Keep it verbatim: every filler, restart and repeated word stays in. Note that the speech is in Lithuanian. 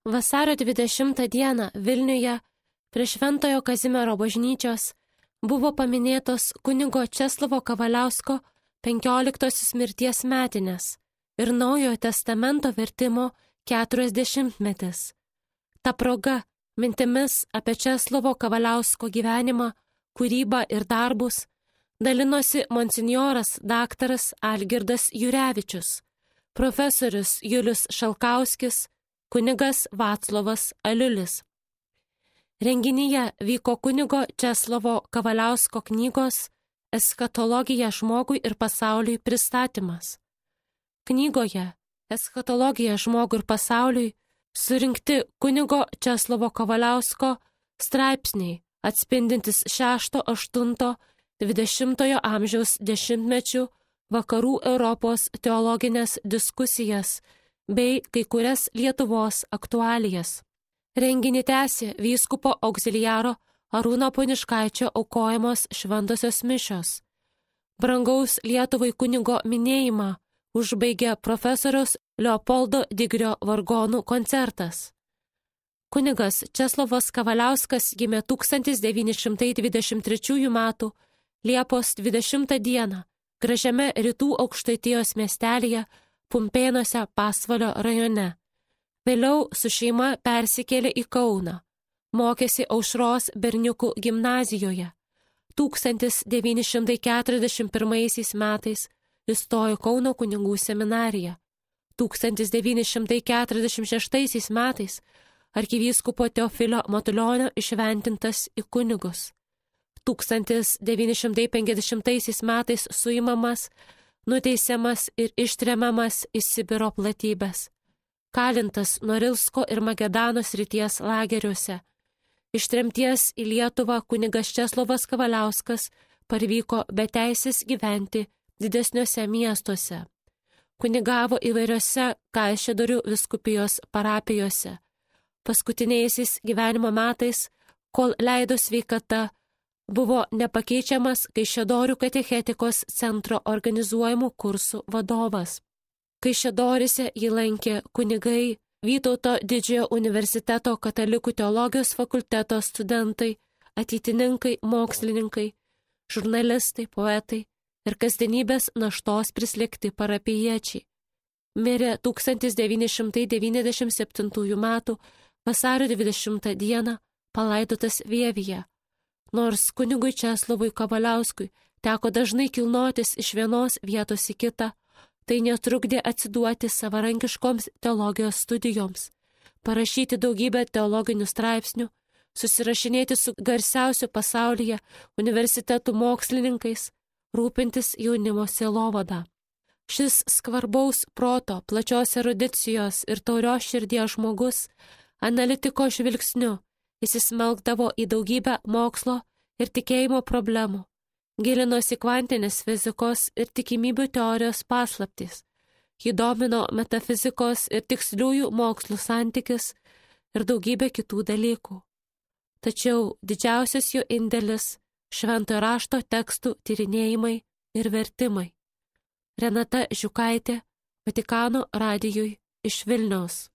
Vasario dvidešimtą dieną Vilniuje prie Šventojo Kazimiero bažnyčios buvo paminėtos kunigo Česlovo Kavaliausko penkioliktosios mirties metinės ir Naujojo testamento vertimo keturiasdešimtmetis. Ta proga mintimis apie Česlovo Kavaliausko gyvenimą, kūrybą ir darbus dalinosi monsinjoras daktaras Algirdas Jurevičius, profesorius Julius Šalkauskis, kunigas Vaclovas Aliulis. Renginyje vyko kunigo Česlovo Kavaliausko knygos Eschatologija žmogui ir pasauliui pristatymas. Knygoje Eschatologija žmogui ir pasauliui surinkti kunigo Česlovo Kavaliausko straipsniai, atspindintis šešto aštunto dvidešimtojo amžiaus dešimtmečių vakarų Europos teologinės diskusijas bei kai kurias Lietuvos aktualijas. Renginį tęsė vyskupo auxiliaro Arūno Poniškaičio aukojamos šventosios mišios. Brangaus Lietuvai kunigo minėjimą užbaigė profesoriaus Leopoldo Digrio vargonų koncertas. Kunigas Česlovas Kavaliauskas gimė tūkstantis devyni šimtai dvidešimt trečiųjų metų Liepos dvidešimtą dieną gražiame rytų Aukštaitijos miestelyje Pumpėnuose Pasvalio rajone. Vėliau su šeima persikėlė į Kauną. Mokėsi Aušros berniukų gimnazijoje. tūkstantis devyni šimtai keturiasdešimt pirmaisiais metais įstojo Kauno kunigų seminariją. tūkstantis devyni šimtai keturiasdešimt šeštaisiais metais arkivyskupo Teofilio Matulionio išventintas į kunigus. tūkstantis devyni šimtai penkiasdešimtaisiais metais suimamas, nuteisiamas ir ištremiamas į Sibiro platybes. Kalintas Norilsko ir Magedano srities lageriuose. Iš tremties į Lietuvą kunigas Česlovas Kavaliauskas parvyko be teisės gyventi didesniuose miestuose. Kunigavo įvairiose Kaišiadorių vyskupijos parapijose. Paskutiniaisiais gyvenimo metais, kol leido sveikata, buvo nepakeičiamas Kaišiadorių katechetikos centro organizuojamų kursų vadovas. Kaišiadoryse jį lankė kunigai, Vytauto didžiojo universiteto katalikų teologijos fakulteto studentai, ateitininkai, mokslininkai, žurnalistai, poetai ir kasdienybės naštos prislėgti parapijiečiai. Mirė tūkstantis devyni šimtai devyniasdešimt septintųjų metų vasario dvidešimtą dieną palaidotas Vievyje. Nors kunigui Česlovui Kavaliauskui teko dažnai kilnotis iš vienos vietos į kitą, tai netrukdė atsiduoti savarankiškoms teologijos studijoms, parašyti daugybę teologinių straipsnių, susirašinėti su garsiausiu pasaulyje universitetų mokslininkais, rūpintis jaunimo sielovada. Šis skvarbaus proto, plačios erudicijos ir taurios širdies žmogus analitiko žvilgsniu įsismelkdavo į daugybę mokslo ir tikėjimo problemų. Gilinosi kvantinės fizikos ir tikimybių teorijos paslaptys. Jį domino metafizikos ir tiksliųjų mokslų santykis ir daugybė kitų dalykų. Tačiau didžiausias jo indėlis – šventojo rašto tekstų tyrinėjimai ir vertimai. Renata Žiukaitė, Vatikano radijui iš Vilniaus.